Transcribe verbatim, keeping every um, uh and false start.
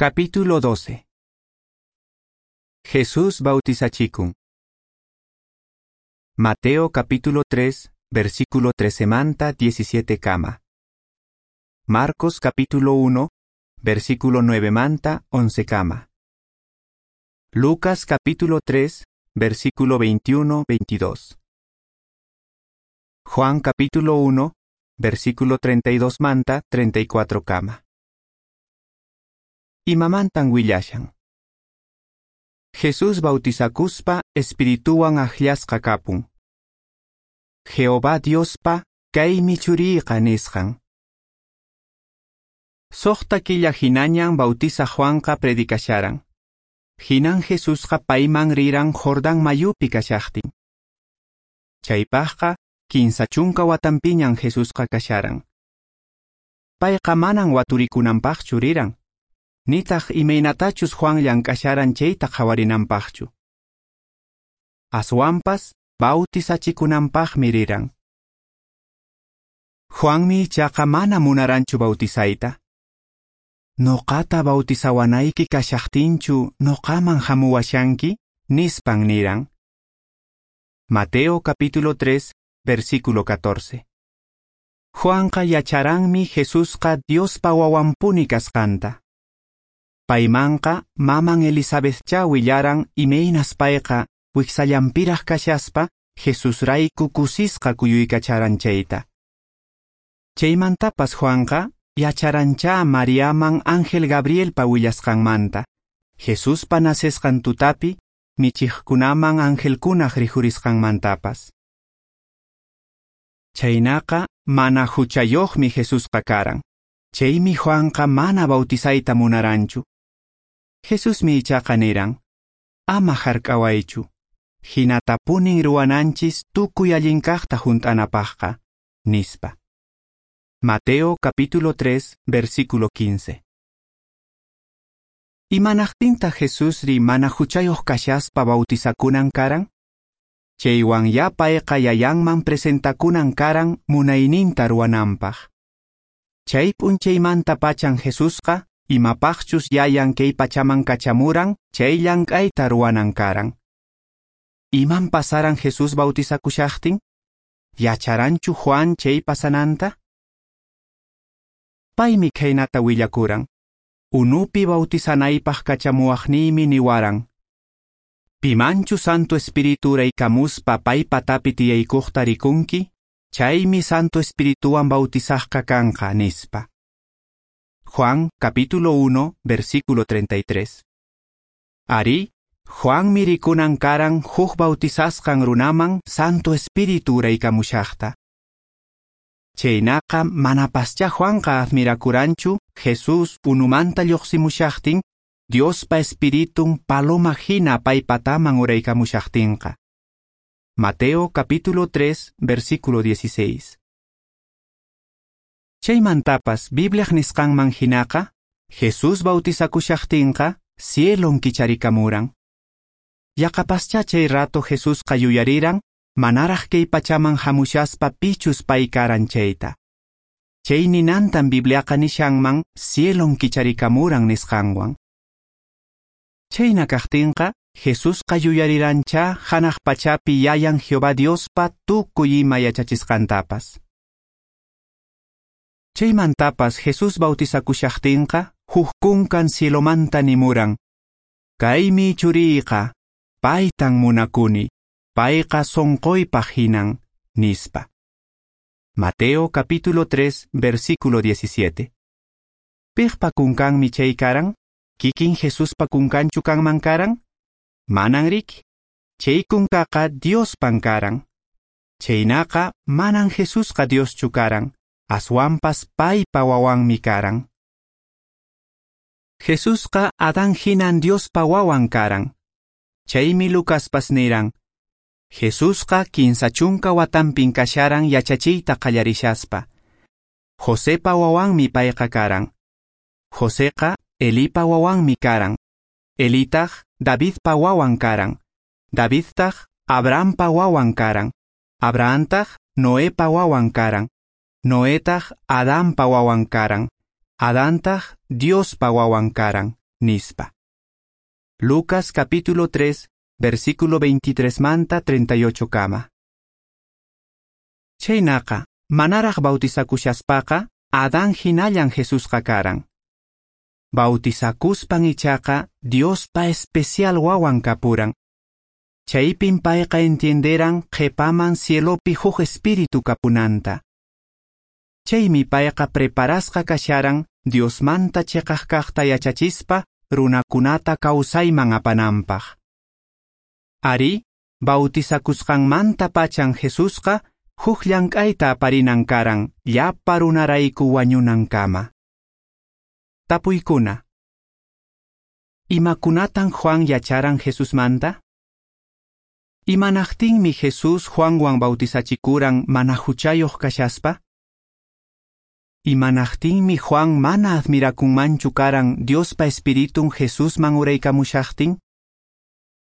Capítulo doce. Jesús bautizachikun. Mateo capítulo tres, versículo trece manta diecisiete kama. Marcos capítulo uno, versículo nueve manta once kama. Lucas capítulo tres, versículo veintiuno veintidós. Juan capítulo uno, versículo treinta y dos manta treinta y cuatro kama. Imamantan willashan. Jesús bautizakuspa espirituwan akllasqa kapun. Jehová Diospa kaymi churiyqa nisqan. Soqta killa hinañan bautiza Juanqa predicasharan. Hinan Jesusqa payman riran Jordán mayupi kashaqtin. Chaypaqqa kinsa chunka watanpiñan Jesusqa kasharan. Payqa manan waturikunanpaqchu riran. Nitaq imaynatachus Juan llank'asharan chayta qhawarinanpaqchu. Aswanpas bautizachikunanpaqmi riran. Juanmi ichaqa mana munaranchu bautizayta. Noqata bautizawanayki kashaqtinchu noqaman hamuwashanki, nispan niran. Mateo capítulo tres, versículo catorce. Juanqa yacharanmi Jesusqa Diospa wawanpuni kasqanta. Paymanqa maman Elizabethcha willaran imaynas payqa wiksallanpiraq kashaspa Jesusrayku kusisqa kuyuykacharan chayta. Chaymantapas Juanqa yacharancha Mariaman ángel Gabrielpa willasqanmanta, Jesuspa nacesqan tutapi michiqkunaman angelkunaq rikhurisqanmantapas. Chaynaqa mana huchayuqmi Jesusqa karan. Chaymi Juanqa mana bautizayta munaranchu. Jesusmi ichaqa niran, ama hark'awaychu, hinatapunin ruwananchis tukuy allinkaqta hunt'anapaqqa, nispa. Mateo capítulo tres, versículo quince. Imanaqtinta Jesusri mana huchayuq kashaspa bautizakunan karan? Chaywan ya payqa yayanman presentakunan karan munayninta ruwananpaq. Chay p'unchaymanta pachan Jesusqa imapaqchus yayan kay pachaman kachamuran chay llank'ayta ruwanan karan. Iman pasaran Jesús bautizakushaqtin? Yacharanchu Juan chay pasananta? Paymi khaynata willakuran. Unupi bautizanaypaq kachamuwaqniymi niwaran. Pimanchu Santo Espíritu uraykamuspa pay patapi tiyaykuqta rikunki, chaymi Santo Espirituwan bautizaqqa kanqa, nispa. Juan capítulo uno, versículo treinta y tres. Ari, Juan mirikunan karan huk bautizasqan runaman Santo Espíritu uraykamushaqta. Chaynaqa manapascha Juanqa admirakuranchu Jesús unumanta lluqsimushaqtin Diospa Espiritun paloma hina paypataman uraykamushaqtinqa. Mateo capítulo tres, versículo dieciséis. Chaymantapas Bibliaq nisqanman hinaqa, Jesús bautizakushaqtinqa cielon kicharikamuran. Yaqapascha chay rato Jesusqa yuyariran manaraq kay pachaman hamushaspa pichus pay karan chayta. Chay ninantan Bibliaqa nishanman cielon kicharikamuran nisqanwan. Chayna kaqtinqa Jesusqa yuyarirancha hanaq pachapi yayan Jehová Diospa tukuy ima yachachisqantapas. Chaymantapas Jesús bautizakushaqtinqa huk kunkan cielomanta nimuran. Kaymi churiyqa, paytan munakuni, payqa sonqoypaq hinan, nispa. Mateo capítulo tres, versículo diecisiete. Piqpa kunkanmi chay karan? Kikin Jesuspa kunkanchu kanman karan? Manan riki. Chay kunkaqa Diospan karan. Chaynaqa manan Jesusqa Dioschu karan, aswanpas paypa wawanmi karan. Jesusqa Adán hinan Diospa wawan karan. Chaymi Lucaspas niran, Jesusqa kinsa chunka watanpin kasharan yachachiyta qallarishaspa. Josepa wawanmi payqa karan. Joseqa Elipa wawanmi karan. Elitaq Davidpa wawan karan. Davidtaq Abrahampa wawan karan. Abrahamtaq Noepa wawan karan. Noetaq Adanpa wawan karan. Adantaq Diospa wawan karan, nispa. Lucas capítulo tres, versículo veintitrés manta treinta y ocho kama. Chhaynaqa, manaraq bautizakushaspaqa, Adán hinallan Jesusqa karan. Bautizakuspan ichaqa Diospa especial wawan kapuran. Chaypin payqa entienderan qhepaman cielopi huk espíritu kapunanta. Chaymi payqa preparasqa kasharan Diosmanta cheqaq kaqta yachachispa runakunata kawsayman apananpaq. Ari, bautizakusqanmanta pachan Jesusqa huk llank'ayta aparinan karan llapa runarayku wañunankama. Tapuykuna. Imakunatan Juan yacharan Jesusmanta? Imanaqtinmi Jesús Juanwan bautizachikuran mana huchayoq kashaspa? Imanaqtinmi Juan mana admirakunmanchu karan Diospa Espiritun Jesusman uraykamushaqtin?